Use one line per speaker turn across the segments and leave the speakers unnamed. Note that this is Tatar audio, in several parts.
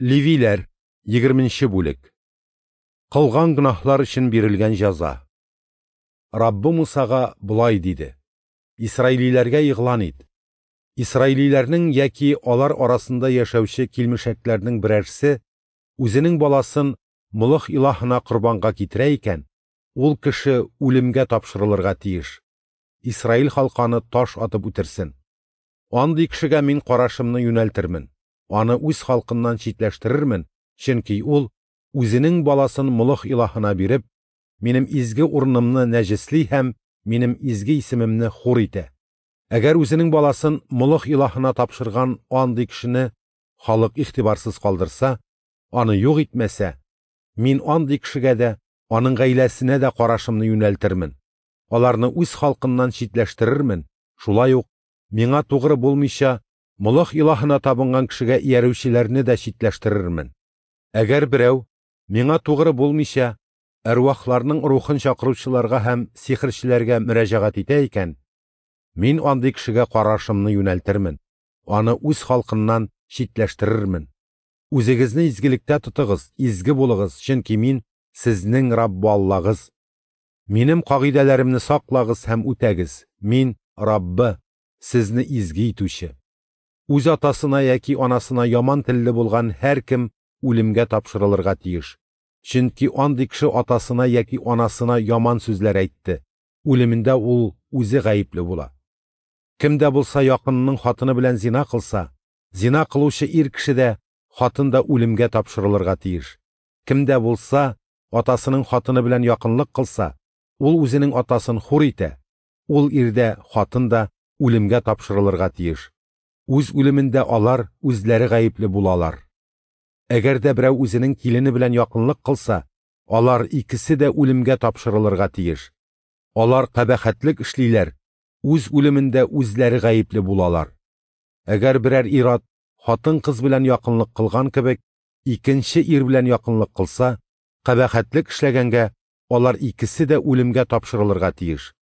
Левиләр, 20 бүлек. Кылган гөнаһлар өчен бирелгән җәза. Раббы Мусага болай диде: Исраилиләргә игълан ит. Исраилиләрнең яки алар арасында яшәүче килмешәкләрнең берәрсе үзенең баласын Молох илаһына корбанга китерә икән, ул кеше үлемгә тапшырылырга тиеш. Исраил халкы аны таш атып үтерсен. Андый кешегә мин карашымны юнәлтермен, аны үз халкыннан читләштерермен, чөнки ул, үзенең баласын Молох илаһына биреп, минем изге урынымны нәҗесли һәм минем изге исемемне хур итә. Әгәр үзенең баласын Молох илаһына тапшырган андый кешене халык игътибарсыз калдырса, аны юк итмәсә, мин андый кешегә дә, аның гаиләсенә дә карашымны юнәлтермен. Аларны үз халкыннан читләштерермен, шулай ук миңа тугры булмыйча Молох илаһына табынган кешегә иярүчеләрне дә читләштерермен. Әгәр берәү миңа тугры булмыйча әрвахларның рухын чакыручыларга һәм сихерчеләргә мөрәҗәгать итә икән, мин андый кешегә карашымны юнәлтермен, аны үз халкыннан читләштерермен. Үзегезне изгелектә тотыгыз, изге булыгыз, чөнки мин сезнең Раббы Аллагыз. Минем кагыйдәләремне саклагыз һәм үтәгез. Мин Раббы, сезне изге итүче. Үз атасына яки анасына яман телле булган һәркем үлемгә тапшырылырга тиеш. Чөнки андый кеше атасына яки анасына яман сүзләр әйтте. Үлемендә ул үзе гаепле була. Кем дә булса якынының хатыны белән зина кылса, зина кылучы ир кеше дә, хатын да үлемгә тапшырылырга тиеш. Кем дә булса атасының хатыны белән якынлык кылса, ул үзенең атасын хур итә. Ул ир дә, хатын да үлемгә тапшырылырга тиеш. Үз үлемендә алар үзләре гаепле булалар. Әгәр дә берәү үзенең килене белән якынлык кылса, алар икесе дә үлемгә тапшырылырга тиеш. Алар кабахәтлек эшлиләр, үз үлемендә үзләре гаепле булалар. Әгәр берәр ир-ат хатын-кыз белән якынлык кылган кебек, икенче ир белән якынлык кылса, кабахәтлек эшләгәнгә алар икесе дә үлемгә тапшырылырга тиеш.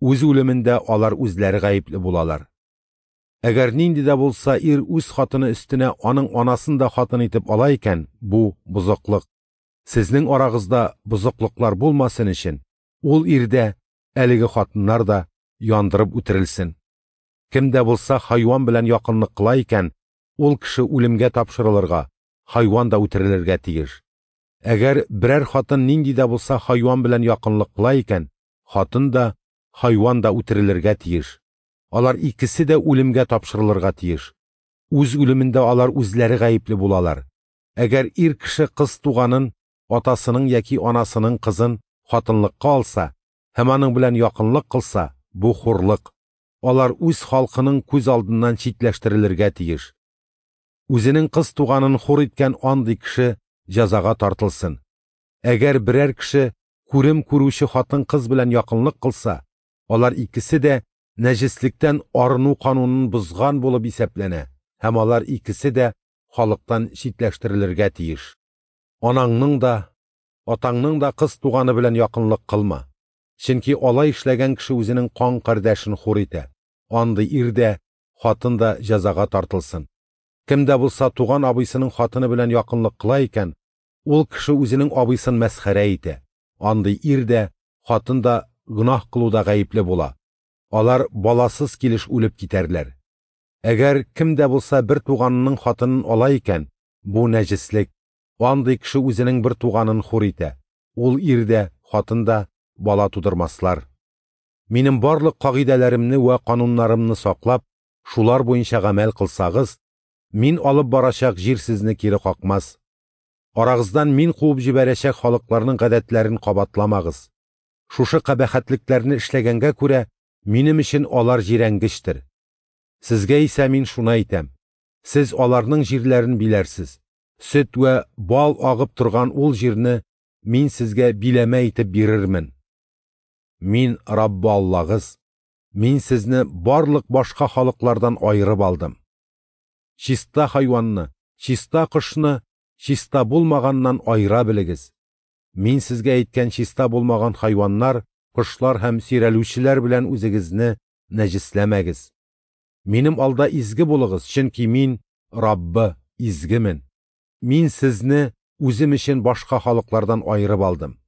Үз үлемендә алар үзләре гаепле булалар. Әгәр нинди дә булса ир үз хатыны өстенә аның анасын да хатын итеп ала икән, бу бозыклык. Сезнең арагызда бозыклыклар булмасын өчен, ул ирдә әлеге хатыннар да яндырып үтерелсен. Кем дә булса хайван белән якынлык кыла икән, ул кеше үлемгә тапшырылырга, хайван да үтерелергә тиеш. Әгәр берәр хатын нинди дә булса хайван белән якынлык кыла икән, хатын да, хайван да үтерелергә тиеш. Алар икесе дә үлемгә тапшырылырга тиеш. Үз үлемендә алар үзләре гаепле булалар. Әгәр ир кеше кыз туганын, атасының яки анасының кызын хатынлыкка алса һәм аның белән якынлык кылса, бу хурлык. Алар үз халкының күз алдыннан читләштерелергә тиеш. Үзенең кыз туганын хур иткән андый кеше җәзага тартылсын. Әгәр берәр кеше күрем күрүче хатын-кыз белән якынлык кылса, алар икесе дә нәҗеслектән арыну канунын бозган булып исәпләнә һәм алар икесе дә халыктан читләштерелергә тиеш. Анаңның да, атаңның да кыз туганы белән якынлык кылма. Чөнки алай эшләгән кеше үзенең кан кардәшен хур итә. Андый ир дә, хатын да җәзага тартылсын. Кем дә булса туган абыйсының хатыны белән якынлык кыла икән, ул кеше үзенең абыйсын мәсхәрә итә. Андый ир дә, хатын да гөнаһ кылуда гаепле була. Алар баласыз килеш үлеп китәрләр. Әгәр кем дә булса бер туганының хатынын ала икән, бу нәҗеслек. Андый кеше үзенең бер туганын хур итә. Ул ир дә, хатын да бала тудырмаслар. Минем барлык кагыйдәләремне вә кануннарымны саклап, шулар буенча гамәл кылсагыз, мин алып барачак җир сезне кире какмас. Арагыздан мин куып җибәрәчәк халыкларның гадәтләрен кабатламагыз. Шушы кабахәтлекләрне эшләгәнгә күрә, минем өчен алар җирәнгечтер. Сезгә исә мин шуны әйтәм: сез аларның җирләрен биләрсез. Сөт вә бал агып торган ул җирне мин сезгә биләмә итеп бирермен. Мин Раббы Аллагыз, мин сезне барлык башка халыклардан аерып алдым. Чиста хайванны, чиста кошны чиста булмаганнан аера белегез. Мин сезгә әйткән чиста булмаган хайваннар, кошлар һәм сөйрәлүчеләр белән үзегезне нәҗесләмәгез. Минем алда изге булыгыз, чөнки мин Раббы, изгемен. Мин сезне Үзем өчен башка халыклардан аерып алдым.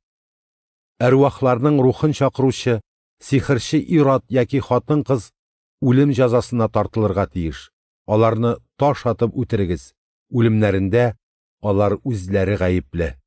Әрвахларның рухын чакыручы сихерче ир-ат яки хатын-кыз үлем җәзасына тартылырга тиеш, аларны таш атып үтерегез, үлемнәрендә алар үзләре гаепле.